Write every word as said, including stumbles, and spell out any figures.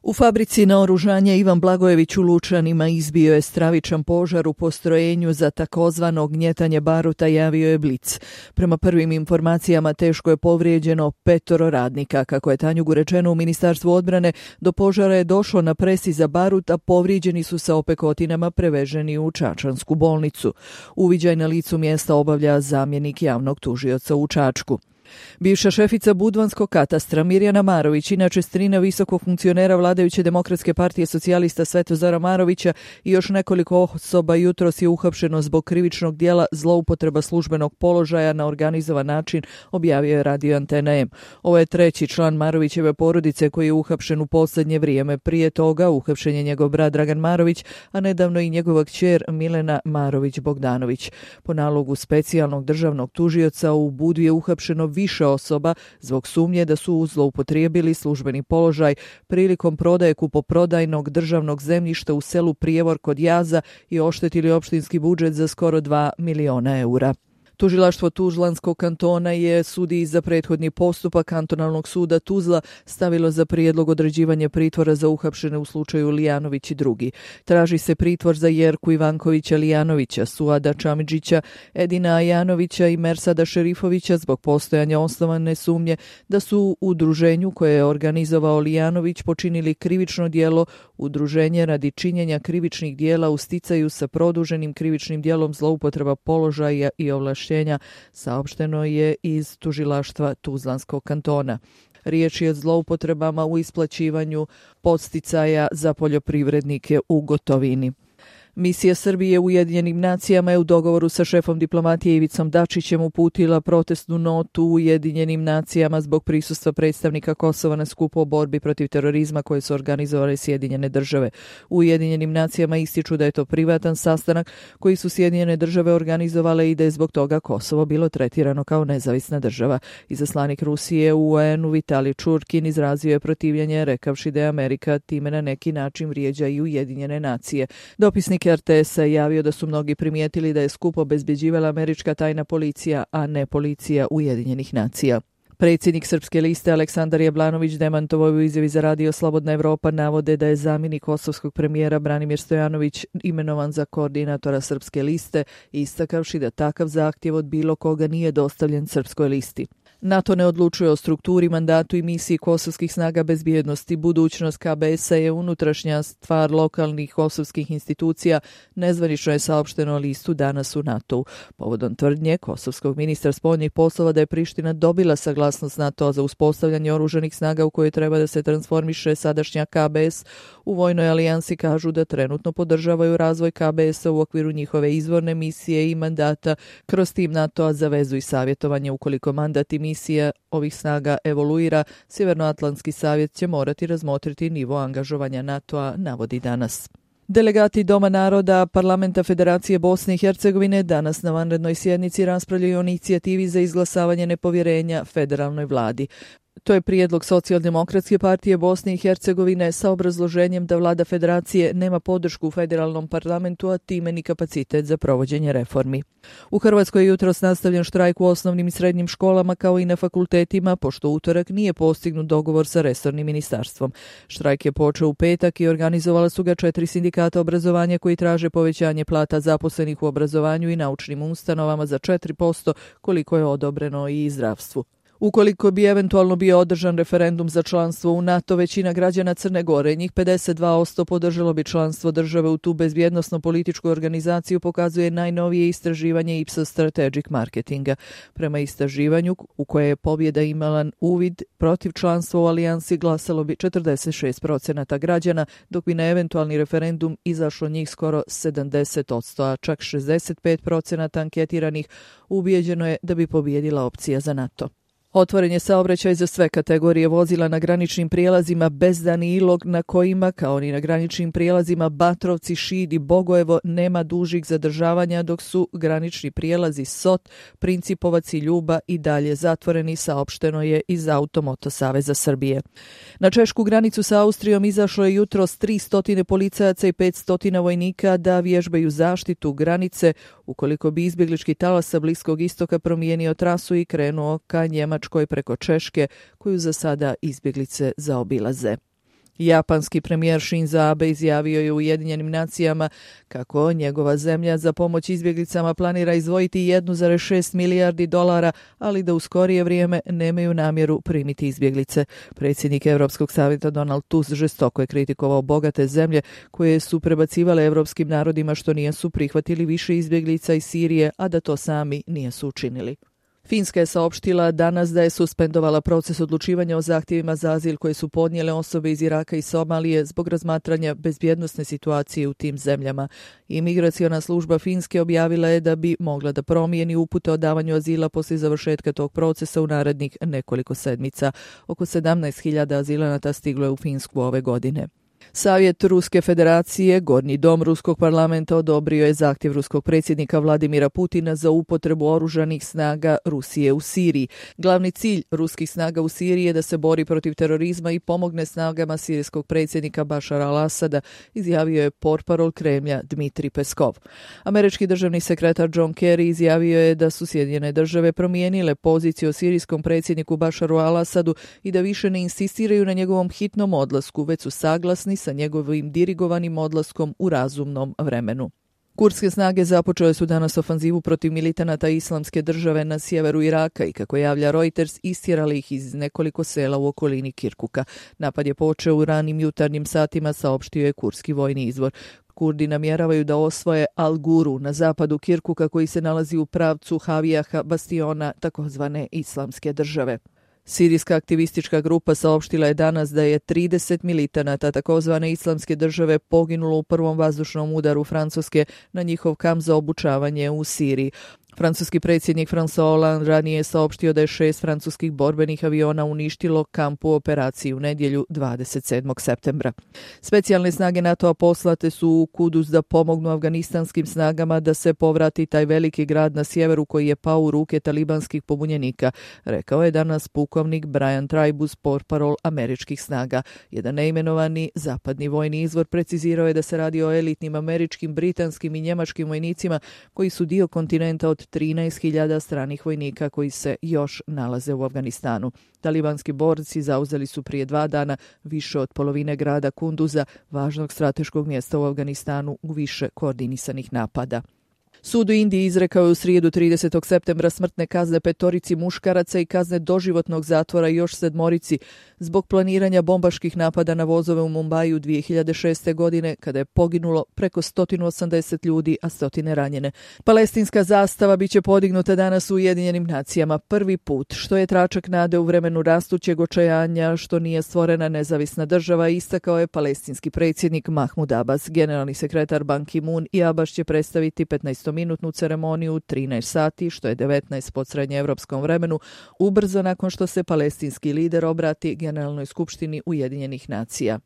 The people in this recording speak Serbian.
U fabrici naoružanja Ivan Blagojević u Lučanima izbio je stravičan požar u postrojenju za takozvano gnjetanje baruta, javio je Blic. Prema prvim informacijama teško je povrijeđeno petoro radnika. Kako je Tanjugu rečeno u Ministarstvu odbrane, do požara je došlo na presi za barut, a povrijeđeni su sa opekotinama preveženi u Čačansku bolnicu. Uviđaj na licu mjesta obavlja zamjenik javnog tužioca u Čačku. Bivša šefica Budvanskog katastra Mirjana Marović, inače strina visokog funkcionera vladajuće Demokratske partije socijalista Svetozara Marovića, i još nekoliko osoba jutros je uhapšeno zbog krivičnog dijela zloupotreba službenog položaja na organizovan način, objavio je radio Antena M. Ovo je treći član Marovićeve porodice koji je uhapšen u posljednje vrijeme. Prije toga uhapšen je njegov brat Dragan Marović, a nedavno i njegova kćer Milena Marović-Bogdanović. Po nalogu specijalnog državnog tužioca u Budu je uhapšeno više osoba zbog sumnje da su zloupotrijebili službeni položaj prilikom prodaje kupoprodajnog državnog zemljišta u selu Prijevor kod Jaza i oštetili opštinski budžet za skoro dva miliona eura. Tužilaštvo Tuzlanskog kantona je sudiji za prethodni postupak Kantonalnog suda Tuzla stavilo za prijedlog određivanje pritvora za uhapšene u slučaju Lijanović i drugi. Traži se pritvor za Jerku Ivankovića Lijanovića, Suada Čamidžića, Edina Ajanovića i Mersada Šerifovića zbog postojanja osnovane sumnje da su u udruženju koje je organizovao Lijanović počinili krivično djelo udruženje radi činjenja krivičnih djela u sticaju sa produženim krivičnim djelom zloupotreba položaja i ovlaštenja, saopšteno je iz tužilaštva Tuzlanskog kantona. Riječ je o zloupotrebama u isplaćivanju podsticaja za poljoprivrednike u gotovini. Misija Srbije u Ujedinjenim nacijama je u dogovoru sa šefom diplomatije Ivicom Dačićem uputila protestnu notu u Ujedinjenim nacijama zbog prisustva predstavnika Kosova na skupu o borbi protiv terorizma koje su organizovale Sjedinjene države. U Ujedinjenim nacijama ističu da je to privatan sastanak koji su Sjedinjene države organizovale i da je zbog toga Kosovo bilo tretirano kao nezavisna država. Izaslanik Rusije u U N-u Vitali Čurkin izrazio je protivljenje rekavši da je Amerika time na neki način vrijeđa i Ujedinjene nacije. Dopisnik R T S-a je javio da su mnogi primijetili da je skup obezbjeđivala američka tajna policija, a ne policija Ujedinjenih nacija. Predsjednik Srpske liste Aleksandar Jablanović demantovao u izjavi za radio Slobodna Evropa navode da je zamjenik kosovskog premijera Branimir Stojanović imenovan za koordinatora Srpske liste, istakavši da takav zahtjev od bilo koga nije dostavljen Srpskoj listi. NATO ne odlučuje o strukturi, mandatu i misiji kosovskih snaga bezbjednosti. Budućnost K B S-a je unutrašnja stvar lokalnih kosovskih institucija, nezvanično je saopšteno listu danas u NATO-u. Povodom tvrdnje kosovskog ministra spoljnih poslova da je Priština dobila saglasnost NATO-a za uspostavljanje oružanih snaga u koje treba da se transformiše sadašnja K B S, u vojnoj alijansi kažu da trenutno podržavaju razvoj K B S-a u okviru njihove izvorne misije i mandata kroz tim NATO-a za vezu i savjetovanje. Ukoliko mandat i misija ovih snaga evoluira, Sjevernoatlantski savjet će morati razmotriti nivo angažovanja NATO-a, navodi danas. Delegati Doma naroda Parlamenta Federacije Bosne i Hercegovine danas na vanrednoj sjednici raspravljaju o inicijativi za izglasavanje nepovjerenja federalnoj vladi. To je prijedlog Socijaldemokratske partije Bosne i Hercegovine sa obrazloženjem da vlada federacije nema podršku u federalnom parlamentu, a time ni kapacitet za provođenje reformi. U Hrvatskoj je jutros nastavljen štrajk u osnovnim i srednjim školama kao i na fakultetima, pošto utorak nije postignut dogovor sa resornim ministarstvom. Štrajk je počeo u petak i organizovala su ga četiri sindikata obrazovanja koji traže povećanje plata zaposlenih u obrazovanju i naučnim ustanovama za četiri posto koliko je odobreno i zdravstvu. Ukoliko bi eventualno bio održan referendum za članstvo u NATO, većina građana Crne Gore, njih pedeset dva posto, podržalo bi članstvo države u tu bezbjednosno političku organizaciju, pokazuje najnovije istraživanje Ipsos Strategic Marketinga. Prema istraživanju, u koje je pobjeda imala uvid, protiv članstva u alijansi glasalo bi četrdeset šest procenata građana, dok bi na eventualni referendum izašlo njih skoro sedamdeset posto, a čak šezdeset pet procenata anketiranih ubijeđeno je da bi pobjedila opcija za NATO. Otvoren je saobraćaj za sve kategorije vozila na graničnim prijelazima Bezdan i Ilog, na kojima, kao ni na graničnim prijelazima Batrovci, Šid i Bogojevo, nema dužih zadržavanja, dok su granični prijelazi Sot, Principovac i Ljuba i dalje zatvoreni, saopšteno je iz Automoto Saveza Srbije. Na češku granicu sa Austrijom izašlo je jutros tristo policajaca i petsto vojnika da vježbaju zaštitu granice ukoliko bi izbjeglički talas sa Bliskog istoka promijenio trasu i krenuo ka Njemačkoj preko Češke, koju za sada izbjeglice zaobilaze. Japanski premijer Shinzo Abe izjavio je u Ujedinjenim nacijama kako njegova zemlja za pomoć izbjeglicama planira izdvojiti jedan zarez šest milijardi dolara, ali da u skorije vrijeme nemaju namjeru primiti izbjeglice. Predsjednik Europskog savjeta Donald Tusk žestoko je kritikovao bogate zemlje koje su prebacivale europskim narodima što nisu prihvatili više izbjeglica iz Sirije, a da to sami nisu učinili. Finska je saopštila danas da je suspendovala proces odlučivanja o zahtjevima za azil koje su podnijele osobe iz Iraka i Somalije zbog razmatranja bezbjednosne situacije u tim zemljama. Imigraciona služba Finske objavila je da bi mogla da promijeni upute o davanju azila poslije završetka tog procesa u narednih nekoliko sedmica. Oko sedamnaest hiljada azilanata stiglo je u Finsku ove godine. Savjet Ruske federacije, Gornji dom Ruskog parlamenta, odobrio je zahtjev ruskog predsjednika Vladimira Putina za upotrebu oružanih snaga Rusije u Siriji. Glavni cilj ruskih snaga u Siriji je da se bori protiv terorizma i pomogne snagama sirijskog predsjednika Bašara al-Asada, izjavio je portparol Kremlja Dmitrij Peskov. Američki državni sekretar John Kerry izjavio je da su Sjedinjene države promijenile poziciju o sirijskom predsjedniku Bašaru al-Asadu i da više ne insistiraju na njegovom hitnom odlasku, već su saglasni sa njegovim dirigovanim odlaskom u razumnom vremenu. Kurdske snage započele su danas ofanzivu protiv militanata Islamske države na sjeveru Iraka i, kako javlja Reuters, istjerali ih iz nekoliko sela u okolini Kirkuka. Napad je počeo u ranim jutarnjim satima, saopštio je kurdski vojni izvor. Kurdi namjeravaju da osvoje Al-Guru na zapadu Kirkuka koji se nalazi u pravcu Havijaha, bastiona takozvane Islamske države. Sirijska aktivistička grupa saopštila je danas da je trideset militanata takozvane Islamske države poginulo u prvom vazdušnom udaru Francuske na njihov kamp za obučavanje u Siriji. Francuski predsjednik François Hollande ranije je saopštio da je šest francuskih borbenih aviona uništilo kamp u operaciji u nedjelju dvadeset sedmog septembra. Specijalne snage NATO-a poslate su u Kudus da pomognu afganistanskim snagama da se povrati taj veliki grad na sjeveru koji je pao u ruke talibanskih pobunjenika, rekao je danas pukovnik Brian Tribus, portparol američkih snaga. Jedan neimenovani zapadni vojni izvor precizirao je da se radi o elitnim američkim, britanskim i njemačkim vojnicima koji su dio kontinenta od trinaest hiljada stranih vojnika koji se još nalaze u Afganistanu. Talibanski borci zauzeli su prije dva dana više od polovine grada Kunduza, važnog strateškog mjesta u Afganistanu, u više koordinisanih napada. Sud u Indiji izrekao je u srijedu tridesetog septembra smrtne kazne petorici muškaraca i kazne doživotnog zatvora još sedmorici zbog planiranja bombaških napada na vozove u Mumbaju dvije hiljade šeste. godine, kada je poginulo preko sto osamdeset ljudi, a stotine ranjene. Palestinska zastava biće podignuta danas u Ujedinjenim nacijama prvi put, što je tračak nade u vremenu rastućeg očajanja što nije stvorena nezavisna država, istakao je palestinski predsjednik Mahmud Abbas. Generalni sekretar Ban Ki-moon i Abbas će predstaviti petnaestominutnu ceremoniju u trinaest sati, što je devetnaest po srednjeevropskom vremenu, ubrzo nakon što se palestinski lider obrati Generalnoj skupštini Ujedinjenih nacija.